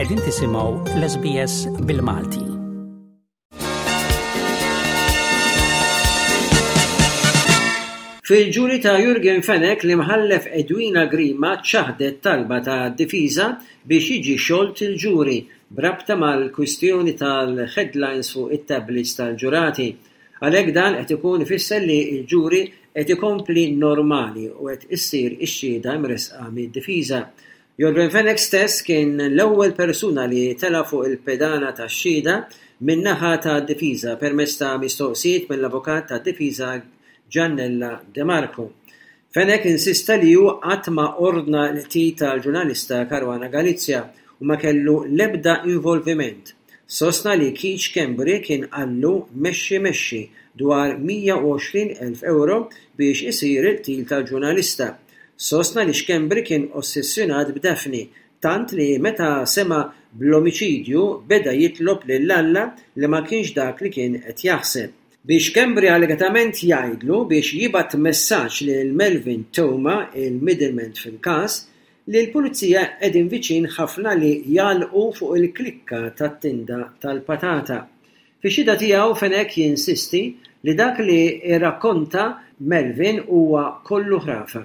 Qegħdin tisimgħu l-SBS bil-Malti. Fil-ġuri ta' Yorgen Fenech l-Imħallef Edwina Grima ċaħdet talba ta' difiża biex jiġi xolt il-ġuri b'rabta mal-kwistjoni tal-headlines fuq it-tablets tal-ġurati. Għalhekk dan qed ikun ifisser li l-ġuri qed ikompli normali u qed issir ix-xhieda mressqa mid-difiża. Yorgen Fenech stess kien l-ewwel persuna li tela' fuq il-pedana tax-xhieda min-naħa tad-difiża permezz ta' mistoqsijiet mill-avukat tad-difiża Giannella De Marco. Fenech insista li hu qatt ma ordna l-qtil tal-ġurnalista Caruana Galizia u ma kellu l-ebda involviment. Sostna li Keith Schembri kien qallu mexxi mexxi dwar 120 elf ewro biex isir il-qtil tal-ġurnalista. Sostna li Schembri kien ossessjonat b'Daphne tant li meta sema' bl-omiċidju beda jitlob lil Alla li ma kienx dak li kien qed jaħseb. Biex Schembri allegatament jgħidlu biex jibgħat messaġġ lil Melvin Theuma, il-middleman fil-każ, li l-Pulizija qegħdin viċin ħafna li jagħlqu fuq il-klikka tat-tinda tal-patata. Fix-xhieda tiegħu Fenech jinsisti li dak li rrakkonta Melvin huwa kollu ħrafa.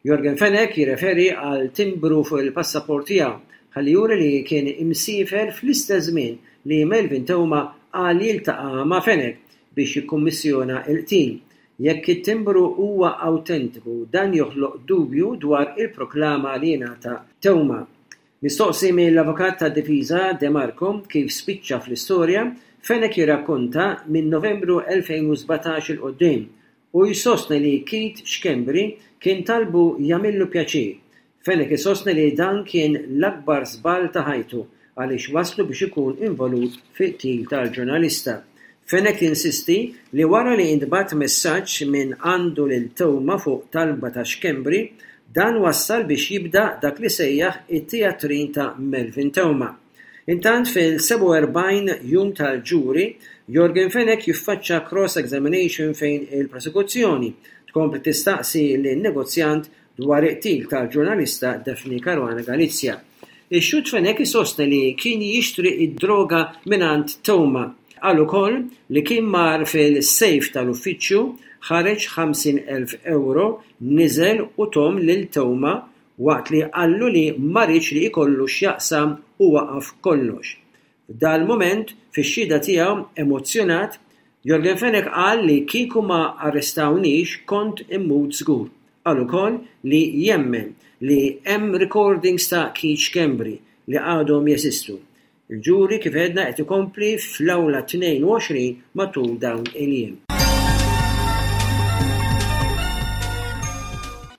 Yorgen Fenech jirreferi għal timbru fuq il-passaport tiegħu ħalli juri li kien imsiefer fl-istess żmien li Melvin Theuma qal li ltaqa' ma' Fenech biex jikkummissjona l-qtil. Jekk it-timbru huwa awtentiku dan joħloq dubju dwar il-proklama li ngħata Theuma. Mistoqsi mill-avukat tad-difiża De Marco kif spiċċa fl-istorja, Fenech jirrakkonta minn Novembru 2017 'il quddiem Hu jsostni li Keith Schembri kien talbu jagħmillu pjaċir. Fenech isostni li dan kien l-akbar żball ta' ħajtu għaliex wasslu biex ikun involut fil-qtil tal-ġurnalista. Fenech jinsisti li wara li intbagħat messaġġ minn għandu lil Theuma fuq talba ta' Schembri, dan wassal biex jibda dak li sejjaħ it-teatrin ta' Melvin Theuma. Intant fil-47 jum tal-ġuri, Yorgen Fenech jiffaċċa cross-examination fejn il-prosekuzzjoni tkompli tistaqsi lin-negozjant dwar il-qtil tal-ġurnalista Daphne Caruana Galizia. Ix-xhud Fenech isostni li kien jixtri d-droga mingħand Theuma. Qal ukoll li kien mar fil-safe tal-uffiċċju, ħareġ 50,000 ewro, niżel u thom lil Theuma waqt li qallu li ma riedx li jkollu x'jaqsam u waqaf kollox. F'dal-mument, fix-xhieda tiegħu emozzjonat, Yorgen Fenech qal li kieku ma arrestawnix kont immut żgur. Qal ukoll li jemmen li hemm recordings ta' Keith Schembri li għadhom jeżistu. Il-ġuri kif għedna qed ikompli fl-Awla 22 matul dawn il-jiem.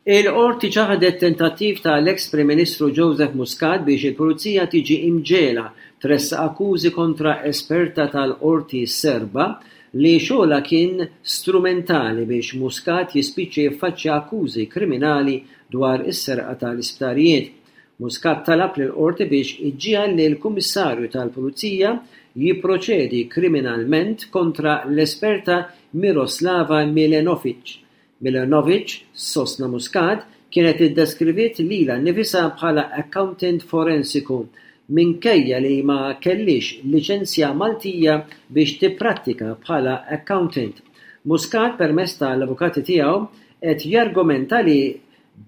Il-Qorti ċaħdet tentattiv ta' l-eks Prim Ministru Joseph Muscat biex il-Pulizija tiġi imġegħla tressaq akkużi kontra esperta tal-Qorti Serba li xogħolha kien strumentali biex Muscat jispiċċa jiffaċċja akkużi kriminali dwar is-serqa tal-isptarijiet. Muscat talab lill-Qorti biex iġġiegħel lill-Kummissarju tal-Pulizija jipproċedi kriminalment kontra l-esperta Miroslava Milenovic. Milenovic, sostna Muscat, kienet iddeskriviet lilha nnifisha bħala accountant forensiku minkejja li ma kellhiex liċenzja Maltija biex tipprattika bħala accountant. Muscat permezz tal-avukati tiegħu qed jargumenta li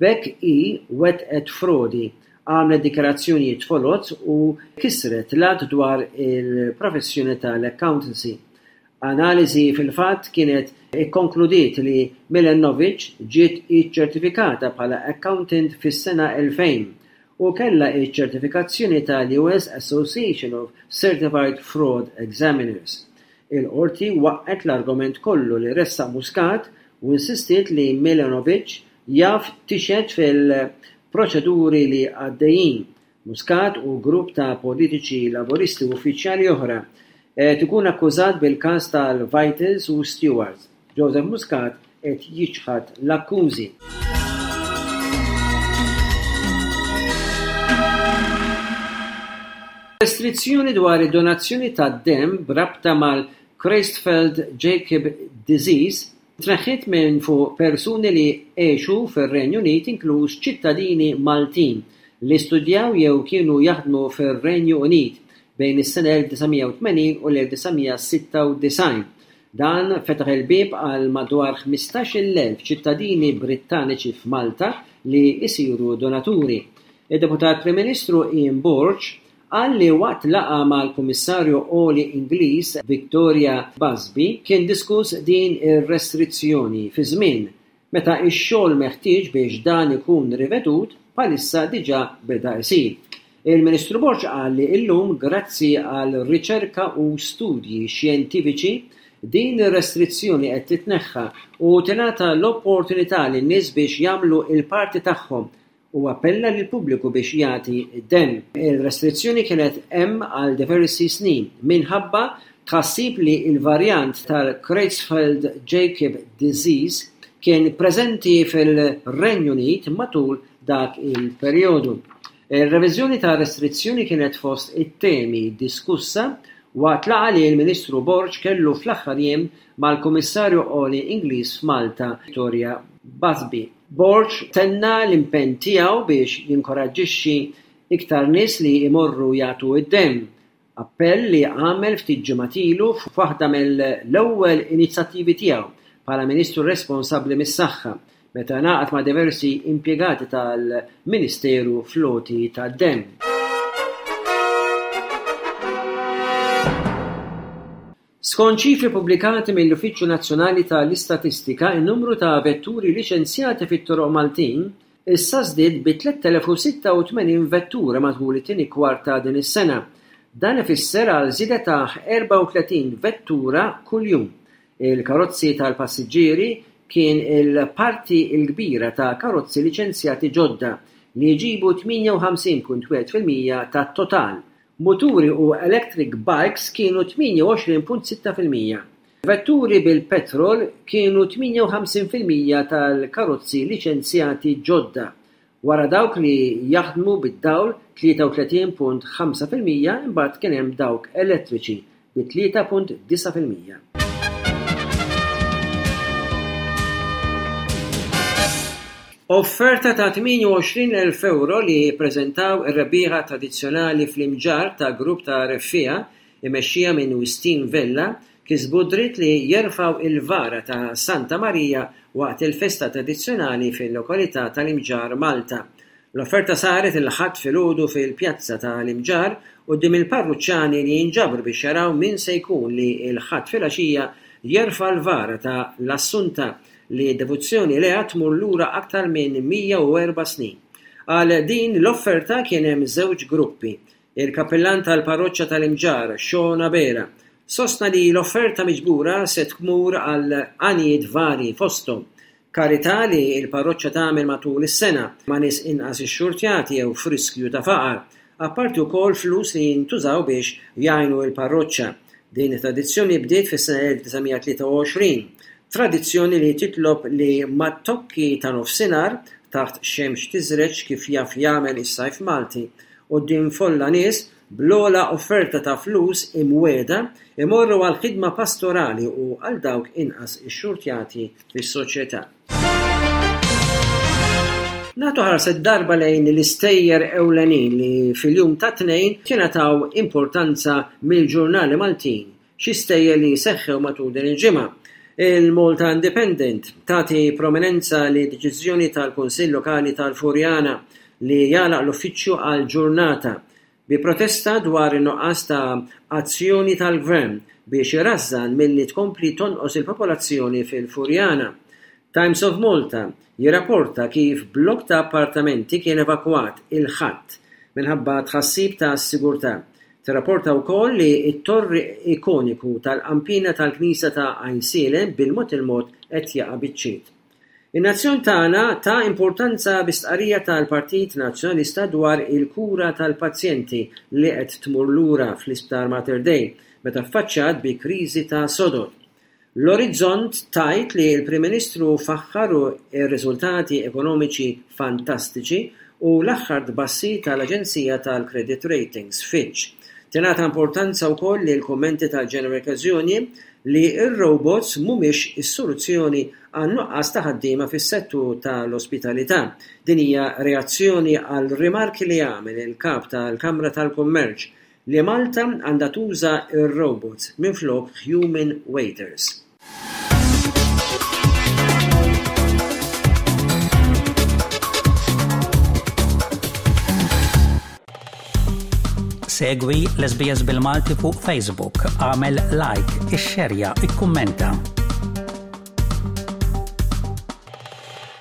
B'hekk hi wettqet frodi, għamlet dikjarazzjonijiet foloz u kisret l-Att dwar il-Professjoni tal-Accountancy. Analiżi fil-fatt kienet ikkonkludiet li Milenovic ġiet iċċertifikata bħala accountant fis-sena 2000 u kellha ċ-ċertifikazzjoni tal-US Association of Certified Fraud Examiners. Il-Qorti waqqgħet l-argument kollu li ressaq Muscat u insistiet li Milenovic jaf tixhed fil-proċeduri li għaddejjin. Muscat u grupp ta' politiċi Laburisti u uffiċjali oħra qed ikun akkużat bil-każ tal-Vitals u Stewards. Joseph Muscat qed jiċħad l-akkużi. Restrizzjoni dwar id-donazzjoni tad-demm b'rabta mal-Creutzfeldt-Jakob disease tneħħiet minn fuq persuni li għexu fir-Renju Unit inkluż ċittadini Maltin. li studjaw jew kienu jaħdmu fir-Renju Unit bejn is-sena 1980 u l-1996. Dan fetaħ il-bieb għal madwar 15,000 ċittadini Brittaniċi f'Malta li jsiru donaturi. Id-Deputat Prim Ministru Ian Borg qal li waqt laqgħa mal-Kummissarju Għoli Ingliż Victoria Busby kien diskuss din ir-restrizzjoni fi żmien meta x-xogħol meħtieġ biex dan ikun rivedut bħalissa diġà beda jsir. Il-Ministru Borg qal li llum grazzi għal riċerka u studji xjentifiċi din ir-restrizzjoni qed titneħħa u tingħata l-opportunità lin-nies biex jagħmlu l-parti tagħhom u appella lill-pubbliku biex jagħti d-demm. Il-restrizzjoni kienet hemm għal diversi snin minħabba tħassib li l-varjant tal-Creutzfeldt-Jakob disease kien preżenti fir-Renju Unit matul dak il-perjodu. Ir-reviżjoni tar-restrizzjoni kienet fost it-temi diskussa waqt laqgħa li l-Ministru Borg kellu fl-aħħar jiem mal-Kummissarju Għoli Ingliż f'Malta, Victoria Busby. Borg tenna l-impenn tiegħu biex jinkoraġġixxi iktar nies li jmorru jagħtu d-demm, appell li għamel ftit ġimgħat ilu f'waħda mill-ewwel inizjattivi tiegħu bħala Ministru responsabbli mis-Saħħa, meta ngħaqad ma' diversi impjegati tal-Ministeru fl-għoti tad-demm. Skont ċifri pubblikati mill-Uffiċċju Nazzjonali ta' l-Istatistika, in-numru ta' vetturi liċenzjati fit-toroq Maltin issa żdied bi 3,086 vettura matul it-tieni kwart ta' din is-sena. Dan ifisser għal żieda ta' 34 vettura kuljum. Il-karozzi tal-passiġġieri kien il-parti l-kbira ta' karozzi liċenzjati ġodda li jġibu 58.1% tat-total. Muturi u electric bikes kienu 28.6%. Vetturi bil-petrol kienu 58% tal-karozzi liċenzjati ġodda, wara dawk li jaħdmu bid-dawl 33.5% imbagħad kien hemm dawk elettriċi bi 3.9%. Offerta ta' 28,000 ewro li ppreżentaw ir-rebbieħa tradizzjonali fl-Imġarr ta' grupp ta' reffiegħa immexxija minn Wistin Vella kisbu d-dritt li jerfgħu il-vara ta' Santa Marija waqt il-festa tradizzjonali fil-lokalità tal-Imġarr Malta. L-offerta saret il-Ħadd filgħodu fil-pjazza ta' l-Imġarr quddiem il-parruċċani li jinġabru biex jaraw min se jkun li l-Ħadd filgħaxija jerfa' l-vara ta' l-Assunta li d-devozzjoni lejha tmur lura aktar minn 104 snin. Għal din l-offerta kien hemm żewġ gruppi. Il-kappillan tal-parroċċa tal-Imġarr, Sean Abela, sostna li l-offerta miġbura se tmur għal għanijiet varji fosthom karità li l-parroċċa tagħmel matul is-sena ma' nies inqas ixxurtjati jew f'riskju ta' faqar, apparti wkoll flus li jintużaw biex jgħinu l-parroċċa. Din it-tradizzjoni bdiet fis-sena 1923. Tradizzjoni li titlob li mat-tokki ta' nofsinhar, taħt xemx tiżreġ kif jaf jagħmel is-sajf Malti, quddiem folla nies, bl-ogħla offerta ta' flus imwiegħda, imorru għall-ħidma pastorali u għal dawk inqas ixxurtjati fis-soċjetà. Nagħtu ħarsa darba lejn l-istejjer ewlenin li fil-jum tat-Tnejn tingħataw importanza mill-ġurnali Maltin, xi stejjer li seħħew matul din il-ġimgħa. Il-Malta Independent tagħti prominenza li deċiżjoni tal-Kunsill Lokali tal-Furjana li jagħlaq l-uffiċċju għal ġurnata bi protesta dwar in-nuqqas ta' azzjoni tal-Gvern biex irażżan milli tkompli tonqos il-popolazzjoni fil-Furjana. Times of Malta jirrapporta kif blokk ta' appartamenti kien evakwat il-Ħadd minħabba tħassib ta' sigurtà. Tirrapporta wkoll li t-torri ikoniku tal-qanpiena tal-Knisja ta' Għajnsielem bil-mod il-mod qed jaqa' biċċiet. In-Nazzjon Tagħna ta importanza bi stqarrija tal-Partit Nazzjonalista dwar il-kura tal-pazjenti li qed tmur lura fl-Isptar Mater Dei meta ffaċċjat bi kriżi ta' sodod. L-Orizzont tgħid li l-Prim Ministru faħħar ir-riżultati ekonomiċi fantastiċi u l-aħħar tbassir tal-aġenzija tal-credit ratings, Fitch. Tingħata importanza wkoll lill-kummenti tal-General Workers Union. li r-robots mhumiex is-soluzzjoni għan-nuqqas ta' ħaddiema fis-settur tal-ospitalità. Din hija reazzjoni għal rimarki li għamel il-Kap tal-Kamra tal-Kummerċ li Malta għandha tuża r-robots minflok human waiters. Segwi l-SBS bil-Malti fuq Facebook, għamel like, ixxerja, ikkummenta.